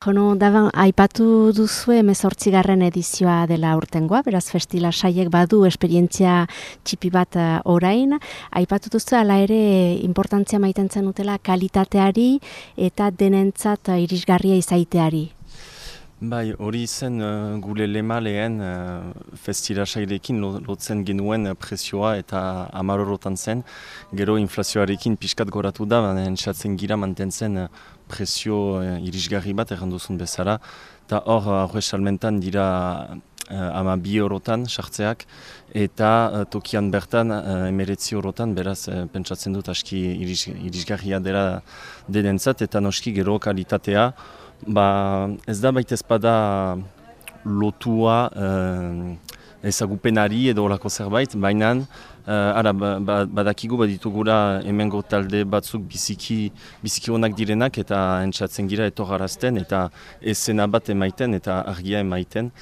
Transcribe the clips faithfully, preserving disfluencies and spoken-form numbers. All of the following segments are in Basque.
Jono, daban, aipatu duzu hemezortzigarren edizioa dela urtengoa, beraz festila saiek badu esperientzia txipi bat uh, orain. Aipatu duzu ala ere importantzia maiten zenutela kalitateari eta denentzat uh, irisgarria izaiteari. Bai, hori zen uh, gure lema lehen uh, festila sairekin lotzen genuen presioa eta amarorotan zen. Gero inflazioarekin pixkat goratu da, baina entzatzen gira mantentzen uh, presio uh, irisgarri bat erranduzun bezala. Eta hor, horre salmentan dira uh, ama bi eurotan sartzeak eta uh, tokian bertan uh, emeretzi eurotan, beraz uh, pentsatzen dut aski iris, irisgarria dela denentzat eta noski gero kalitatea. Ba, ez da baita ezpada lotua eh, ezagupenari edo horako zerbait, baina eh, ara, ba, badakigu baditugura hemengo talde batzuk biziki, biziki onak direnak eta entzatzen gira etorrarazten eta esena bat emaiten eta argia emaiten.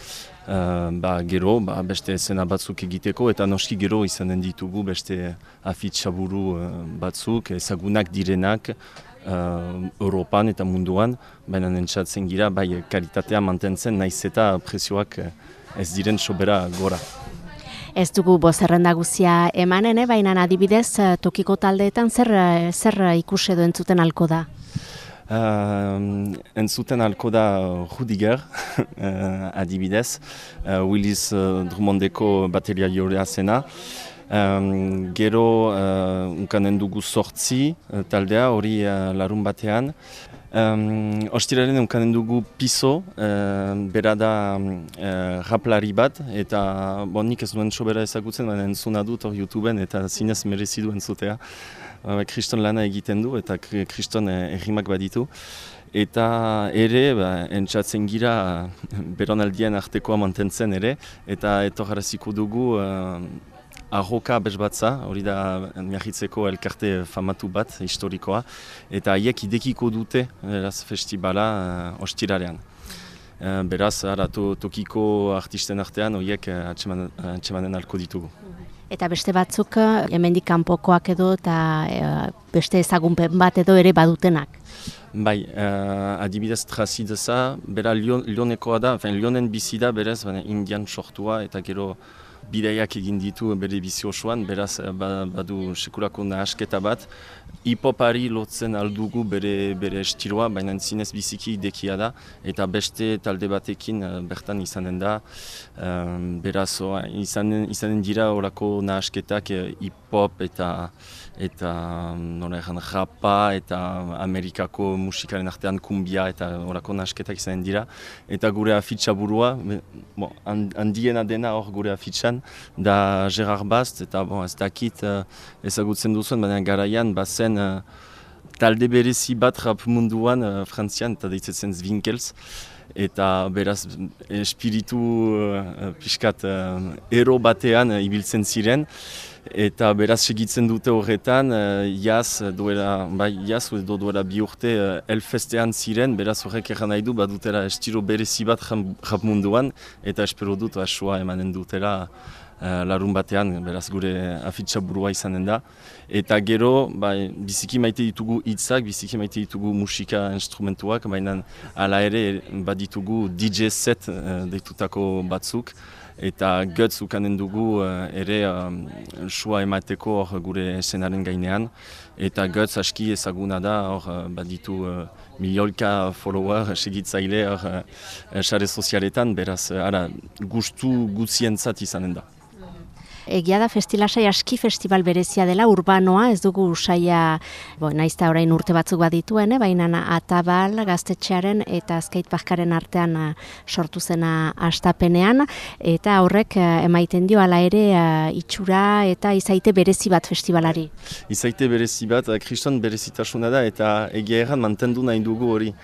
Uh, ba, gero ba, beste esena batzuk egiteko eta noski gero izanen ditugu beste afitxaburu uh, batzuk ezagunak direnak uh, Europan eta munduan, baina entzatzen gira bai kalitatea mantentzen naiz eta presioak ez diren sobera gora. Ez dugu bozerrenda guzia emanen, eh? Baina adibidez tokiko taldeetan zer, zer ikus edo entzuten alko da? Uh, entzuten alko da Rudiger, uh, adibidez, uh, Willis uh, Drummondeko bateria jorea zena. Um, gero uh, unkanen dugu sortzi uh, taldea hori uh, larun batean. Um, Ostiraren unkanen dugu Piso, uh, bera da uh, raplari bat, eta bon, nik ez duen sobera ezagutzen, baina entzuna dut hor YouTubeen eta zinez merezidu entzutea. Kriston lana egiten du eta kriston errimak baditu. Eta ere, ba, entzatzen gira beronaldien artekoa mantentzen ere, eta etorraziko dugu uh, Arroka bezbatza, hori da Miahitzeko elkarte famatu bat, historikoa, eta haiek idekiko dute beraz, festibala uh, ostirarean. Uh, beraz, ara, to, tokiko artisten artean horiek uh, atsemanen alko ditugu. Eta beste batzuk hemendik kanpokoak edo eta e, beste ezagunpen bat edo ere badutenak. Bai, uh, adibidez Trazideza, bera Lyonekoa da, Lyonen bizi da berez, baina Indian sortua eta gero bidaiak egin ditu bere bizi osoan, beraz badu sekulako nahasketa bat. Hip-hopari lotzen aldugu bere, bere estiloa, baina zinez biziki idekia da, eta beste talde batekin bertan izanen da. Um, beraz, izanen, izanen dira horako nahasketak hip-hop eta eta nola egan rapa eta Amerikako musikaren artean kumbia eta horako nahasketak izanen dira. Eta gure afitxa burua, bon, handiena dena hor gure afitxan, da Gerard Bast, eta bon, ez dakit uh, ezagutzen duzuen, baina garaian bazen uh, talde berezi bat rap munduan uh, frantzian eta deitzetzen Zwinkels. Eta beraz espiritu uh, pixkat uh, ero batean uh, ibiltzen ziren. Eta beraz segitzen dute horretan, uh, jaz duela, bai, jaz edo duela bi urte uh, elfestean ziren, beraz horrek erran nahi du badutela estilo berezi bat rap munduan, eta espero dut asua emanen dutela uh, larun batean, beraz gure afitxa burua izanen da. Eta gero, bai, biziki maite ditugu hitzak, biziki maite ditugu musika instrumentuak, baina hala ere baditugu D J set uh, deitutako batzuk. Eta Guts ukanen dugu uh, ere um, sua emateko hor gure eszenaren gainean. Eta Guts aski ezaguna da hor uh, baditu uh, miliolka follower segitzaile hor uh, sare sozialetan, beraz uh, ara, gustu gutzientzat izanen da. Egia da festilasai aski festival berezia dela, urbanoa, ez dugu saia, bo, naizta orain urte batzuk badituen, eh? Baina Atabal gaztetxearen eta skateparkaren artean uh, sortu zena hastapenean, eta horrek uh, emaiten dio hala ere uh, itxura eta izaite berezi bat festivalari. Izaite berezi bat, kriston berezitasuna da eta egia erran mantendu nahi dugu hori.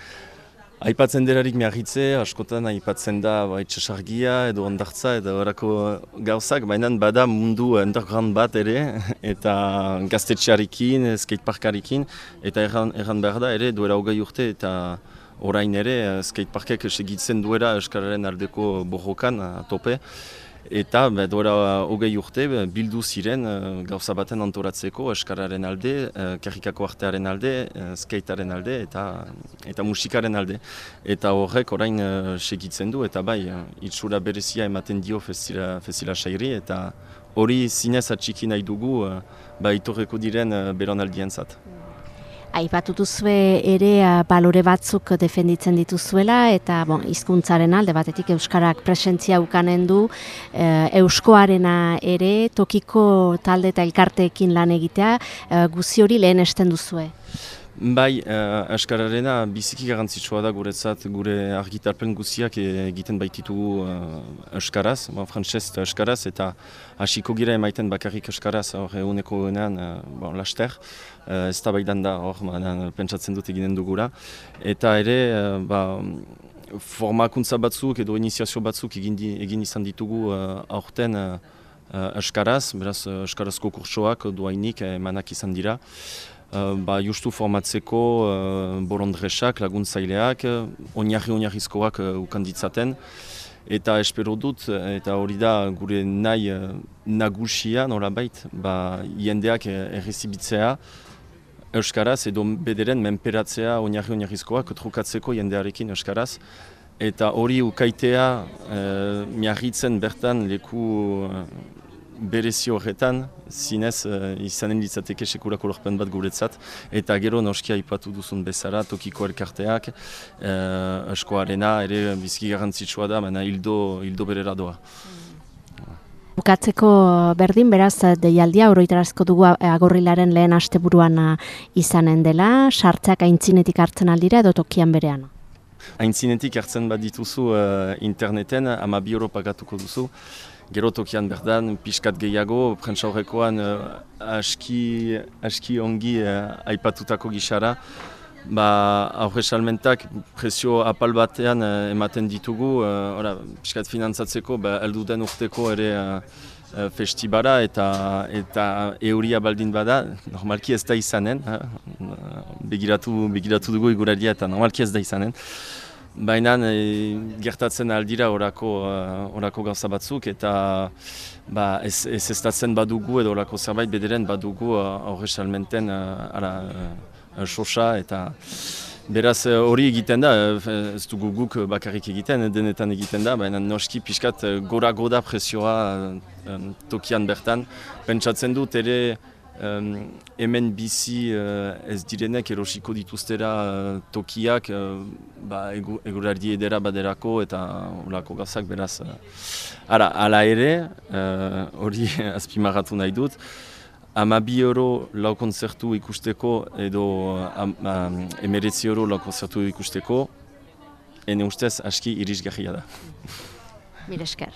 Aipatzen derarik Miahitze, askotan aipatzen da ba, itxasargia edo ondartza edo horako gauzak, baina bada mundu underground bat ere, eta gaztetxearekin, skateparkarekin, eta erran, erran behar da ere duela hogei urte eta orain ere skateparkek segitzen duela Euskararen aldeko borrokan tope. Eta duela hogei urte bildu ziren gauza baten antolatzeko eskararen alde, karrikako artearen alde, skatearen alde eta eta musikaren alde. Eta horrek orain segitzen du eta bai, itxura berezia ematen dio festila, festila sairi eta hori zinez atxiki nahi dugu ba, itorreko diren belaunaldientzat. Aipatu duzue ere balore batzuk defenditzen dituzuela eta bon, hizkuntzaren alde batetik euskarak presentzia ukanen du, e, euskoarena ere tokiko talde eta elkarteekin lan egitea, e, guzi hori lehen esten duzue. Bai, uh, eskararena biziki garrantzitsua da guretzat, gure argitarpen guziak egiten baititugu uh, eskaraz, bon, frantsez eta eskaraz, eta hasiko gira emaiten bakarrik eskaraz, hor eguneko egunean, uh, bon, laster, uh, ez da baidan da, hor, pentsatzen dut eginen dugura. Eta ere, uh, ba, formakuntza batzuk edo iniziazio batzuk egin, di, egin izan ditugu uh, aurten uh, uh, eskaraz, beraz, uh, eskarazko kursoak duainik emanak izan dira. Uh, ba, justu formatzeko uh, borondresak, laguntzaileak, uh, oinarri-oinarrizkoak uh, ukanditzaten. Eta espero dut, eta hori da gure nahi uh, nagusia nolabait, ba, jendeak errezibitzea euskaraz edo bederen menperatzea oinarri-oinarrizkoak trukatzeko jendearekin euskaraz. Eta hori ukaitea uh, miarritzen bertan leku uh, berezi horretan, zinez uh, izanen litzateke sekulako lorpen bat guretzat, eta gero noskia aipatu duzun bezala, tokiko elkarteak, uh, eskoarena ere biziki garrantzitsua da, baina hildo, hildo berera doa. Bukatzeko berdin, beraz, deialdia oroitarazko dugu agorrilaren lehen asteburuan izanen dela, sartzeak aintzinetik hartzen aldira edo tokian berean? Aintzinetik hartzen bat dituzu uh, interneten, ama bi euro pagatuko duzu. Gero tokian berdan, pixkat gehiago, prentsa horrekoan uh, aski, aski ongi uh, aipatutako gixara. Ba, aurre salmentak presio apal batean uh, ematen ditugu, uh, ora, pixkat finantzatzeko, ba, elduden urteko ere uh, uh, festibara eta, eta euria baldin bada, normalki ez da izanen, uh, begiratu, begiratu dugu iguraria eta normalki ez da izanen. Baina e, gertatzen aldira orako, uh, orako gauza batzuk eta ba, ez, ez estatzen badugu edo orako zerbait bederen badugu aurre uh, salmenten uh, ara, uh, sosa eta beraz hori uh, egiten da, ez dugu guk bakarrik egiten, denetan egiten da, baina noski pixkat gora-goda presioa um, tokian bertan. Pentsatzen dut ere Um, hemen bizi uh, ez direnek erosiko dituztera uh, tokiak uh, ba, eguraldi edera baderako eta olako gazak beraz. Uh, ara, ala ere, hori uh, azpimarratu nahi dut, ama bi euro lau konzertu ikusteko edo um, um, emeretzi euro lau konzertu ikusteko, ene ustez aski irisgarria da. Mire esker.